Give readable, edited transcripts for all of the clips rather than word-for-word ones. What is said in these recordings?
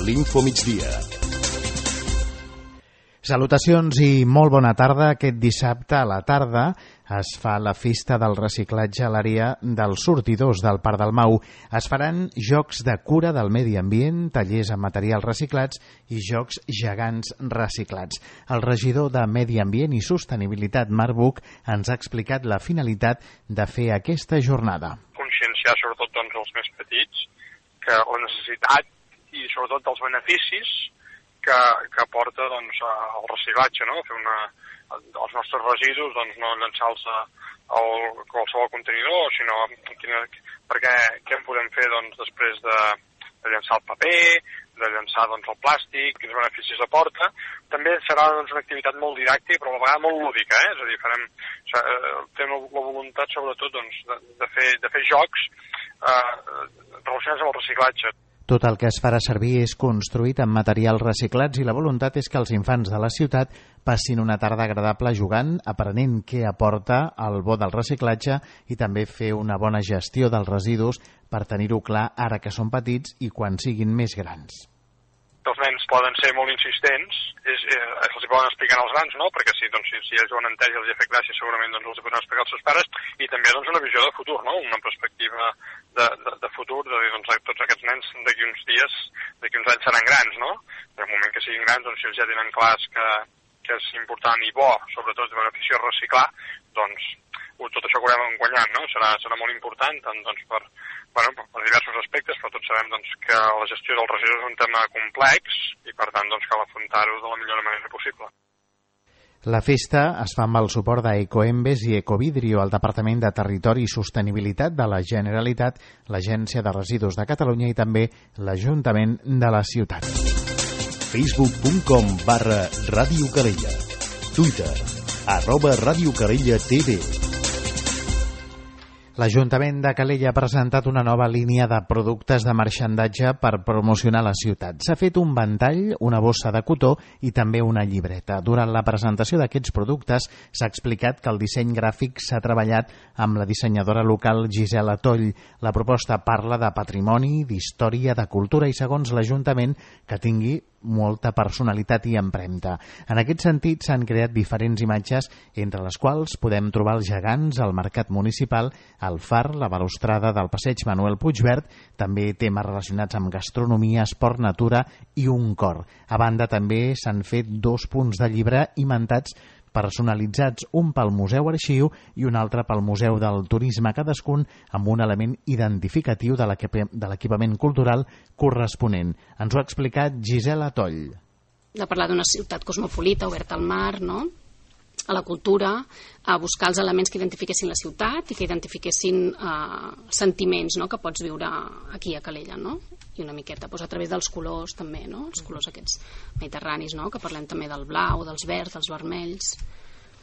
l'Infomigdia. Salutacions i molt bona tarda. Aquest dissabte a la tarda es fa la festa del reciclatge a l'àrea dels sortidors del Parc del Mau. Es faran jocs de cura del medi ambient, tallers amb materials reciclats i jocs gegants reciclats. El regidor de Medi Ambient i Sostenibilitat, Marc Buch, ens ha explicat la finalitat de fer aquesta jornada. Conscienciar sobretot els més petits que la necessitat i sobretot els beneficis que aporta el reciclatge, no? Fer els nostres residus, no llançar-los a qualsevol contenidor, sinó perquè què en podem fer després de llançar el paper, de llançar el plàstic, quins beneficis aporta. També serà una activitat molt didàctica, però a la vegada molt lúdica, És a dir, tenim la voluntat sobretot de fer jocs relacionats amb el reciclatge. Tot el que es farà servir és construït amb materials reciclats i la voluntat és que els infants de la ciutat passin una tarda agradable jugant, aprenent què aporta el bo del reciclatge i també fer una bona gestió dels residus per tenir-ho clar ara que són petits i quan siguin més grans. Els nens poden ser molt insistents, els poden explicar als grans, no? Perquè si ells ho han entès i els ha fet gràcia, segurament els ho poden explicar als seus pares, i també una visió de futur, no? Una perspectiva de futur, de dir, tots aquests nens d'aquí uns dies, d'aquí uns anys seran grans, no? En el moment que siguin grans, si ells ja tenen clars que és important i bo, sobretot de benefici reciclar, tot això que haurem guanyat, no? Serà molt important, tant per diversos aspectes, però tots sabem que la gestió dels residus és un tema complex i, per tant, cal afrontar-ho de la millor manera possible. La festa es fa amb el suport d'Ecoembes i Ecovidrio, el Departament de Territori i Sostenibilitat de la Generalitat, l'Agència de Residus de Catalunya i també l'Ajuntament de la ciutat. Facebook.com/Ràdio Calella. Twitter @Ràdio Calella TV. L'Ajuntament de Calella ha presentat una nova línia de productes de marxandatge per promocionar la ciutat. S'ha fet un ventall, una bossa de cotó i també una llibreta. Durant la presentació d'aquests productes s'ha explicat que el disseny gràfic s'ha treballat amb la dissenyadora local Gisela Toll. La proposta parla de patrimoni, d'història, de cultura i, segons l'Ajuntament, que tingui molta personalitat i empremta. En aquest sentit, s'han creat diferents imatges, entre les quals podem trobar els gegants al mercat municipal, el far, la balustrada del passeig Manuel Puigverd, també temes relacionats amb gastronomia, esport, natura i un cor. A banda, també s'han fet 2 punts de llibre imantats personalitzats, un pel Museu Arxiu i un altre pel Museu del Turisme, cadascun amb un element identificatiu de l'equipament cultural corresponent. Ens ho ha explicat Gisela Toll. De parlar d'una ciutat cosmopolita, oberta al mar, no? A la cultura, a buscar els elements que identifiquessin la ciutat i que identifiquessin sentiments, no?, que pots viure aquí a Calella, no? I una miqueta a través dels colors també, no? Els colors aquests mediterranis, no?, que parlem també del blau, dels verds, dels vermells,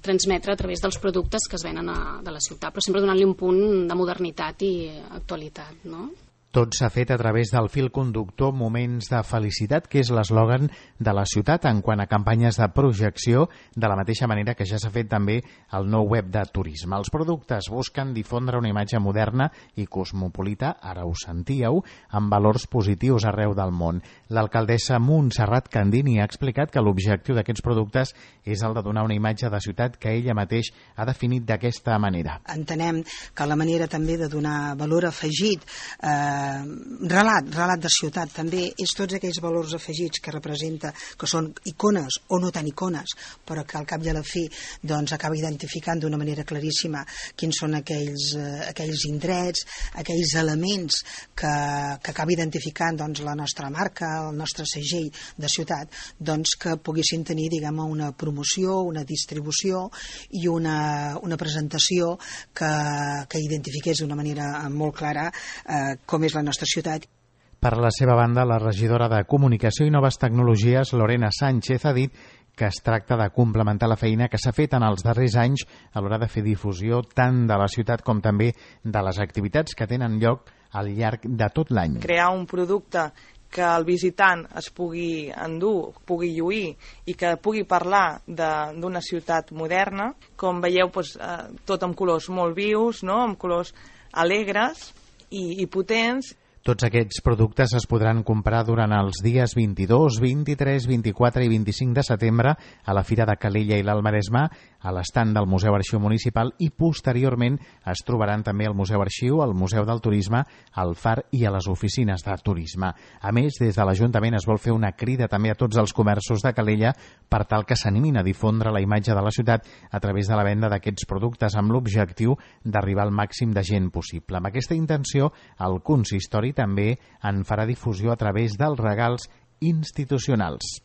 transmetre a través dels productes que es venen de la ciutat, però sempre donant-li un punt de modernitat i actualitat, no? Tot s'ha fet a través del fil conductor Moments de Felicitat, que és l'eslògan de la ciutat en quant a campanyes de projecció, de la mateixa manera que ja s'ha fet també al nou web de turisme. Els productes busquen difondre una imatge moderna i cosmopolita, ara ho sentíeu, amb valors positius arreu del món. L'alcaldessa Montserrat Candini ha explicat que l'objectiu d'aquests productes és el de donar una imatge de ciutat que ella mateix ha definit d'aquesta manera. Entenem que la manera també de donar valor afegit, relat de ciutat també, és tots aquells valors afegits que representa, que són icones o no tan icones, però que al cap i a la fi acaba identificant d'una manera claríssima quins són aquells indrets, aquells elements que acaba identificant la nostra marca, el nostre segell de ciutat, que poguessin tenir, una promoció, una distribució i una presentació que identifiqués d'una manera molt clara com és la nostra ciutat. Per la seva banda, la regidora de Comunicació i Noves Tecnologies, Lorena Sánchez, ha dit que es tracta de complementar la feina que s'ha fet en els darrers anys a l'hora de fer difusió tant de la ciutat com també de les activitats que tenen lloc al llarg de tot l'any. Crear un producte que el visitant es pugui endur, pugui lluir i que pugui parlar d'una ciutat moderna. Com veieu, tot amb colors molt vius, no? Amb colors alegres i potents. Tots aquests productes es podran comprar durant els dies 22, 23, 24 i 25 de setembre a la Fira de Calella i l'Alt Maresme, a l'estand del Museu Arxiu Municipal, i posteriorment es trobaran també al Museu Arxiu, al Museu del Turisme, al Far i a les oficines de turisme. A més, des de l'Ajuntament es vol fer una crida també a tots els comerços de Calella per tal que s'animin a difondre la imatge de la ciutat a través de la venda d'aquests productes amb l'objectiu d'arribar al màxim de gent possible. Amb aquesta intenció, el consistori també en farà difusió a través dels regals institucionals.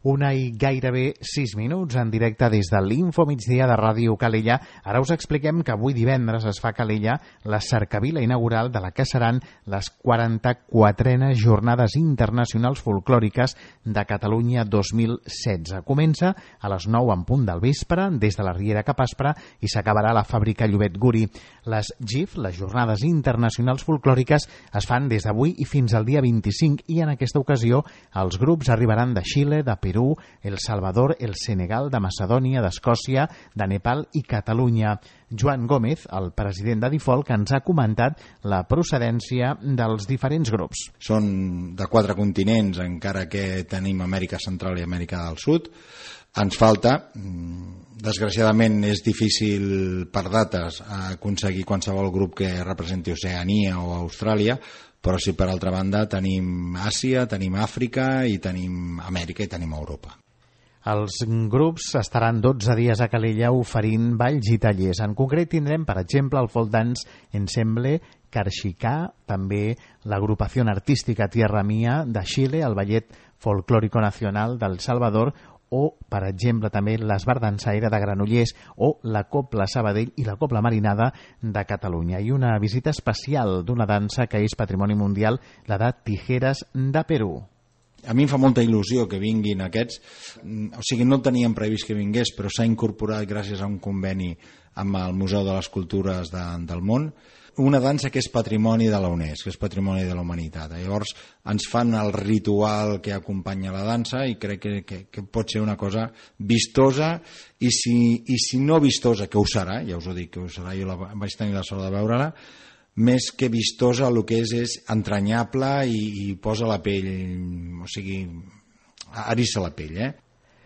1 i gairebé 6 minuts en directe des de l'Info Migdia de Ràdio Calella. Ara us expliquem que avui divendres es fa a Calella la cercavila inaugural de la que seran les 44enes Jornades Internacionals Folclòriques de Catalunya 2016. Comença a les 9 en punt del vespre, des de la Riera cap Aspre, i s'acabarà a la fàbrica Llobet Guri. Les GIF, les Jornades Internacionals Folclòriques, es fan des d'avui i fins al dia 25, i en aquesta ocasió els grups arribaran de Xile, de Perú, El Salvador, el Senegal, de Macedònia, d'Escòcia, de Nepal i Catalunya. Joan Gómez, el president de Difolc, ens ha comentat la procedència dels diferents grups. Són de 4 continents, encara que tenim Amèrica Central i Amèrica del Sud. Ens falta, desgraciadament és difícil per dates aconseguir qualsevol grup que representi Oceania o Austràlia, però si per altra banda tenim Àsia, tenim Àfrica i tenim Amèrica i tenim Europa. Els grups estaran 12 dies a Calella oferint balls i tallers. En concret tindrem, per exemple, el folk dance Ensemble Carxicà, també l'agrupació artística Tierra Mía de Xile, el ballet folclòrico nacional del Salvador, o, per exemple, també l'Esbar Dansaire de Granollers o la Copla Sabadell i la Copla Marinada de Catalunya. I una visita especial d'una dansa que és patrimoni mundial, la de Tijeras de Perú. A mi em fa molta il·lusió que vinguin aquests, o sigui, no teníem previst que vingués, però s'ha incorporat gràcies a un conveni amb el Museu de les Cultures del Món, una dansa que és patrimoni de la UNESCO, que és patrimoni de la humanitat. Llavors ens fan el ritual que acompanya la dansa i crec que pot ser una cosa vistosa, i si no vistosa, que ho serà, ja us ho dic que ho serà, jo vaig tenir la sort de veure-la, més que vistosa el que és entranyable i posa la pell, o sigui, eriça la pell,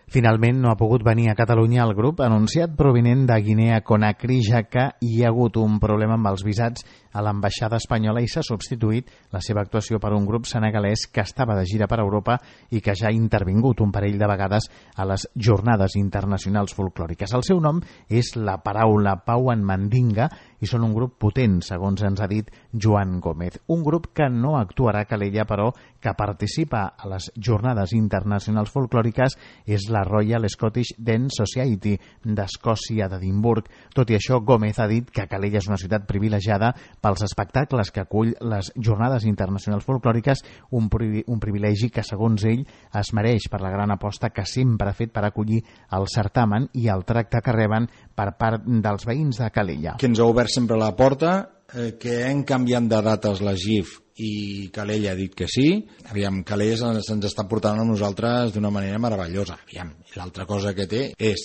Finalment no ha pogut venir a Catalunya el grup anunciat provinent de Guinea Conakry, ja que hi ha hagut un problema amb els visats a l'ambaixada espanyola i s'ha substituït la seva actuació per un grup senegalès que estava de gira per Europa i que ja ha intervingut un parell de vegades a les Jornades Internacionals Folclòriques. El seu nom és La Paraula Pau en Mandinga i són un grup potent, segons ens ha dit Joan Gómez. Un grup que no actuarà a Calella, però que participa a les Jornades Internacionals Folclòriques és la Royal Scottish Dance Society d'Escòcia, d'Edimburg. Tot i això, Gómez ha dit que Calella és una ciutat privilegiada pels espectacles que acull les Jornades Internacionals Folclòriques, un privilegi que, segons ell, es mereix per la gran aposta que sempre ha fet per acollir el certamen i el tracte que reben per part dels veïns de Calella. Que ens ha obert sempre la porta, que hem canviat de dates la GIF i Calella ha dit que sí. Aviam, Calella se'ns està portant a nosaltres d'una manera meravellosa. Aviam, l'altra cosa que té és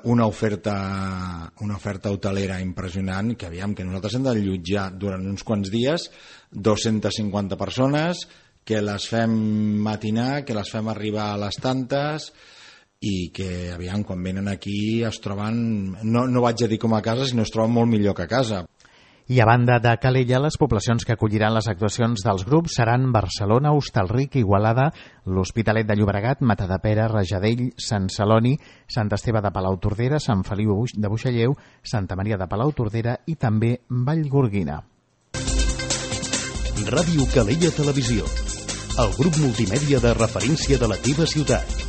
una oferta hotelera impressionant, que aviam, que nosaltres hem d'allotjar durant uns quants dies 250 persones, que les fem matinar, que les fem arribar a les tantes, i que, aviam, quan venen aquí es troben, no vaig a dir com a casa, sinó es troben molt millor que a casa. I a banda de Calella, les poblacions que acolliran les actuacions dels grups seran Barcelona, Hostalric, Igualada, l'Hospitalet de Llobregat, Matadepera, Rajadell, Sant Celoni, Sant Esteve de Palautordera, Sant Feliu de Buixalleu, Santa Maria de Palautordera i també Vallgorguina. Ràdio Calella Televisió, el grup multimèdia de referència de la teva ciutat.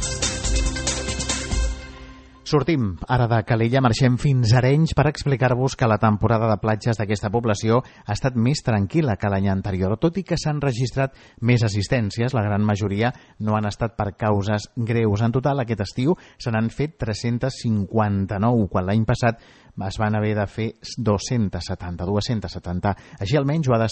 Sortim ara de Calella, marxem fins a Arenys per explicar-vos que la temporada de platges d'aquesta població ha estat més tranquil·la que l'any anterior, tot i que s'han registrat més assistències. La gran majoria no han estat per causes greus. En total, aquest estiu se n'han fet 359, quan l'any passat es van haver de fer 270. Així almenys ho han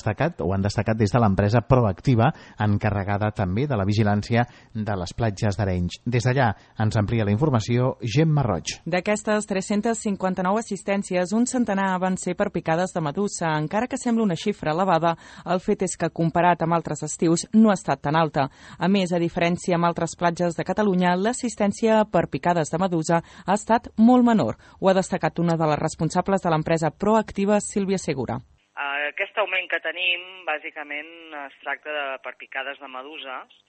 destacat des de l'empresa Proactiva, encarregada també de la vigilància de les platges d'Arenys. Des d'allà ens amplia la informació Gemma Roig. D'aquestes 359 assistències, un centenar van ser per picades de medusa. Encara que sembla una xifra elevada, el fet és que, comparat amb altres estius, no ha estat tan alta. A més, a diferència amb altres platges de Catalunya, l'assistència per picades de medusa ha estat molt menor. Ho ha destacat una de les responsables de l'empresa Proactiva, Sílvia Segura. Aquest augment que tenim, bàsicament, es tracta de per picades de meduses,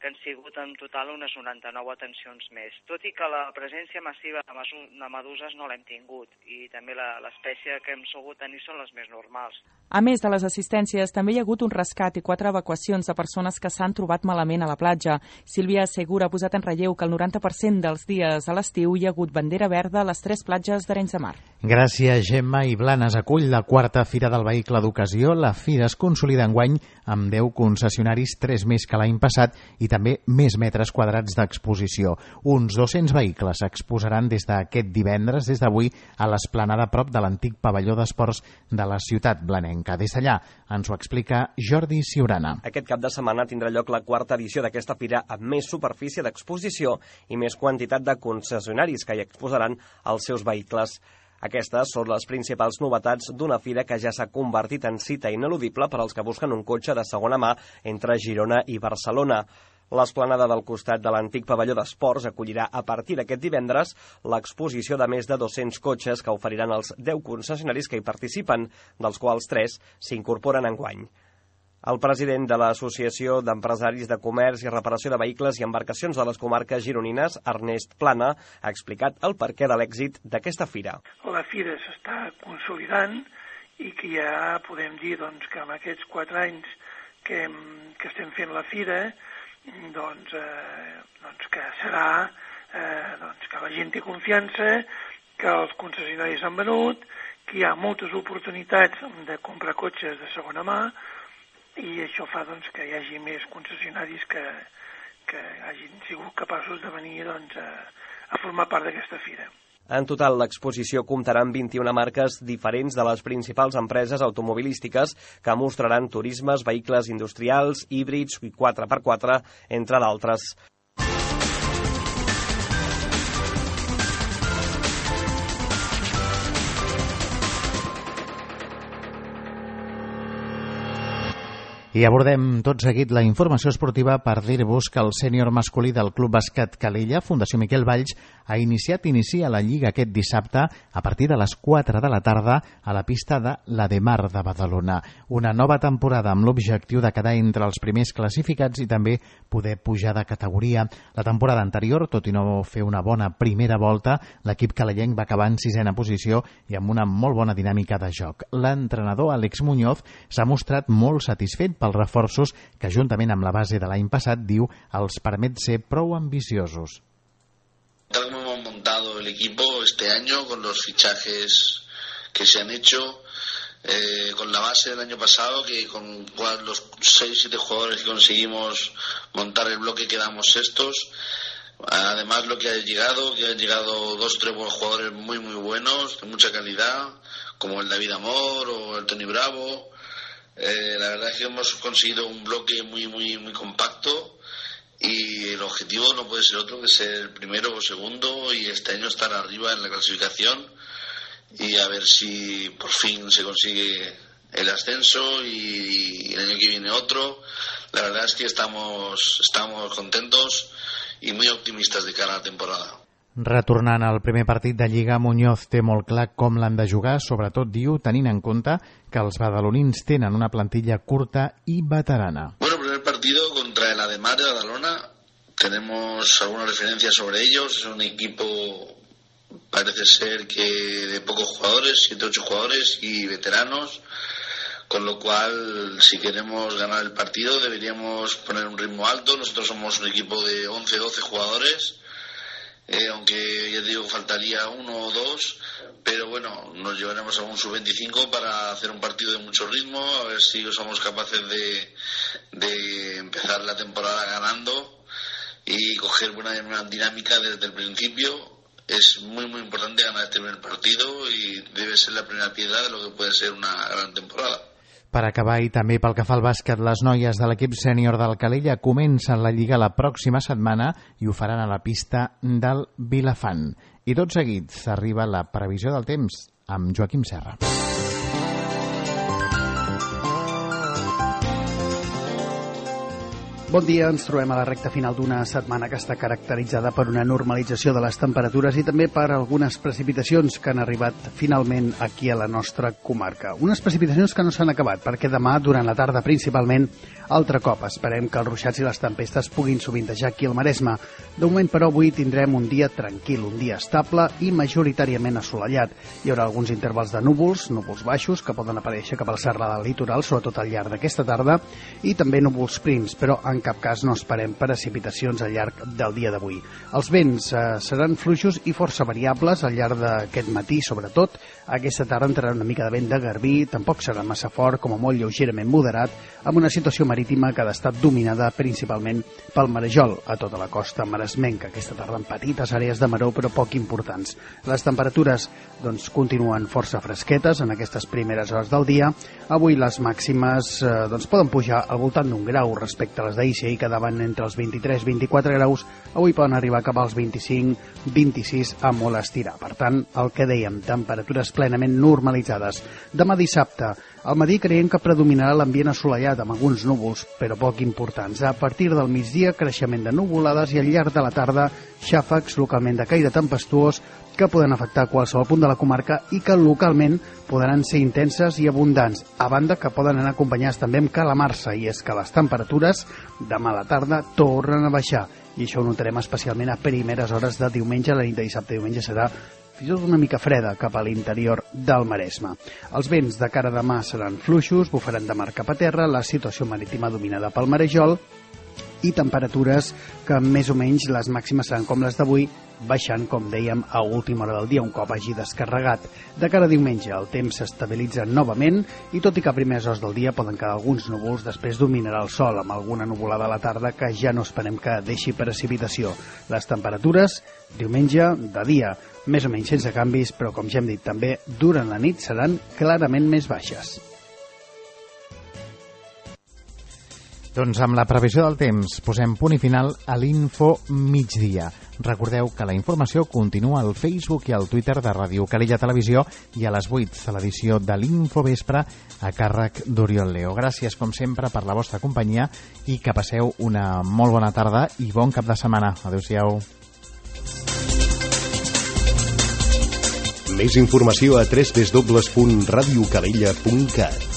que han sigut en total unes 99 atencions més. Tot i que la presència massiva de meduses no l'hem tingut, i també l'espècie que hem sabut tenir són les més normals. A més de les assistències, també hi ha hagut un rescat i 4 evacuacions de persones que s'han trobat malament a la platja. Sílvia Segura ha posat en relleu que el 90% dels dies a l'estiu hi ha hagut bandera verda a les 3 platges d'Arenys de Mar. Gràcies, Gemma. I Blanes acull la 4a Fira del Vehicle d'Ocasió. La fira es consolida enguany amb 10 concessionaris, 3 més que l'any passat, i també més metres quadrats d'exposició. Uns 200 vehicles s'exposaran des d'aquest divendres, des d'avui, a l'esplanada prop de l'antic pavelló d'esports de la ciutat blanenca. Des d'allà ens ho explica Jordi Ciurana. Aquest cap de setmana tindrà lloc la 4a edició d'aquesta fira amb més superfície d'exposició i més quantitat de concessionaris que hi exposaran els seus vehicles. Aquestes són les principals novetats d'una fira que ja s'ha convertit en cita ineludible per als que busquen un cotxe de segona mà entre Girona i Barcelona. L'esplanada del costat de l'antic pavelló d'esports acollirà a partir d'aquest divendres l'exposició de més de 200 cotxes que oferiran els 10 concessionaris que hi participen, dels quals 3 s'incorporen enguany. El president de l'Associació d'Empresaris de Comerç i Reparació de Vehicles i Embarcacions de les comarques gironines, Ernest Plana, ha explicat el perquè de l'èxit d'aquesta fira. La fira s'està consolidant i que ja podem dir que en aquests 4 anys que estem fent la fira, que serà que la gent té confiança, que els concessionaris han venut, que hi ha moltes oportunitats de comprar cotxes de segona mà, i això fa que hi hagi més concessionaris que hagin sigut capaços de venir a formar part d'aquesta fira. En total, l'exposició comptarà amb 21 marques diferents de les principals empreses automobilístiques que mostraran turismes, vehicles industrials, híbrids i 4x4, entre d'altres. I abordem tot seguit la informació esportiva per dir-vos que el sènior masculí del Club Bàsquet Calella, Fundació Miquel Valls, inicia la Lliga aquest dissabte a partir de les 4 de la tarda a la pista de l'Ademar de Badalona. Una nova temporada amb l'objectiu de quedar entre els primers classificats i també poder pujar de categoria. La temporada anterior, tot i no fer una bona primera volta, l'equip calellenc va acabar en 6a posició i amb una molt bona dinàmica de joc. L'entrenador Àlex Muñoz s'ha mostrat molt satisfet pels reforços que, juntament amb la base de l'any passat, diu, els permet ser prou ambiciosos. Tal como hemos montado el equipo este año, con los fichajes que se han hecho, con la base del año pasado, que con los 6-7 jugadores que conseguimos montar el bloque quedamos sextos. Además, lo que han llegado 2 o 3 buenos jugadores muy buenos, de mucha calidad, como el David Amor o el Tony Bravo. La verdad es que hemos conseguido un bloque muy compacto y el objetivo no puede ser otro que ser el primero o segundo y este año estar arriba en la clasificación y a ver si por fin se consigue el ascenso y el año que viene otro. La verdad es que estamos contentos y muy optimistas de cara a la temporada. Retornant al primer partit de Lliga, Muñoz té molt clar com l'han de jugar, sobretot, diu, tenint en compte que els badalonins tenen una plantilla curta y veterana. Bueno, el primer partido contra el Ademar de Badalona, tenemos algunas referencias sobre ellos, es un equipo, parece ser que de pocos jugadores, 7-8 jugadores y veteranos, con lo cual, si queremos ganar el partido, deberíamos poner un ritmo alto. Nosotros somos un equipo de 11-12 jugadores, aunque ya digo faltaría 1 o 2, pero bueno, nos llevaremos a un sub-25 para hacer un partido de mucho ritmo, a ver si somos capaces de empezar la temporada ganando y coger buena dinámica desde el principio. es muy muy importante ganar este primer partido y debe ser la primera piedra de lo que puede ser una gran temporada. Per acabar, i també pel que fa al bàsquet, les noies de l'equip sènior del Calella comencen la Lliga la pròxima setmana i ho faran a la pista del Vilafant. I tot seguit arriba la previsió del temps amb Joaquim Serra. Bon dia, ens trobem a la recta final d'una setmana que està caracteritzada per una normalització de les temperatures i també per algunes precipitacions que han arribat finalment aquí a la nostra comarca. Unes precipitacions que no s'han acabat, perquè demà, durant la tarda principalment, altre cop esperem que els ruixats i les tempestes puguin sovintejar aquí al Maresme. De moment, però, avui tindrem un dia tranquil, un dia estable i majoritàriament assolellat. Hi haurà alguns intervals de núvols baixos, que poden aparèixer cap al serrà del litoral, sobretot al llarg d'aquesta tarda, i també núvols prims, però en cap cas no esperem precipitacions al llarg del dia d'avui. Els vents seran fluixos i força variables al llarg d'aquest matí, sobretot. Aquesta tarda entrarà una mica de vent de garbí, tampoc serà massa fort, com a molt lleugerament moderat, amb una situació marítima que ha d'estar dominada principalment pel marejol a tota la costa maresmenca. Aquesta tarda en petites àrees de maró, però poc importants. Les temperatures continuen força fresquetes en aquestes primeres hores del dia. Avui les màximes poden pujar al voltant d'un grau respecte a les d'ahir, si ahir quedaven entre els 23-24 graus, avui poden arribar cap als 25-26 a molt estirar. Per tant, el que dèiem, temperatures plenament normalitzades. Demà dissabte, al matí creiem que predominarà l'ambient assolellat amb alguns núvols, però poc importants. A partir del migdia, creixement de nuvolades i al llarg de la tarda, xàfecs localment de caire tempestuós que poden afectar qualsevol punt de la comarca i que localment podran ser intenses i abundants, a banda que poden anar acompanyats també amb calamarsa, i és que les temperatures demà a la tarda tornen a baixar, i això ho notarem especialment a primeres hores de diumenge. La nit de dissabte i diumenge serà fins i tot una mica freda cap a l'interior del Maresme. Els vents de cara a demà seran fluixos, bufaran de mar cap a terra, la situació marítima dominada pel marejol i temperatures que més o menys les màximes seran com les d'avui, baixant, com dèiem, a última hora del dia, un cop hagi descarregat. De cara a diumenge el temps s'estabilitza novament i tot i que a primeres hores del dia poden quedar alguns núvols, després dominarà el sol amb alguna nuvolada a la tarda que ja no esperem que deixi precipitació. Les temperatures, diumenge, de dia, més o menys sense canvis, però com ja hem dit també, durant la nit seran clarament més baixes. Doncs amb la previsió del temps posem punt i final a l'Info Migdia. Recordeu que la informació continua al Facebook i al Twitter de Ràdio Calella Televisió i a les 8 a l'edició de l'Info Vespre a càrrec d'Oriol Leo. Gràcies, com sempre, per la vostra companyia i que passeu una molt bona tarda i bon cap de setmana. Adéu-siau. Més informació a www.radiocalella.cat.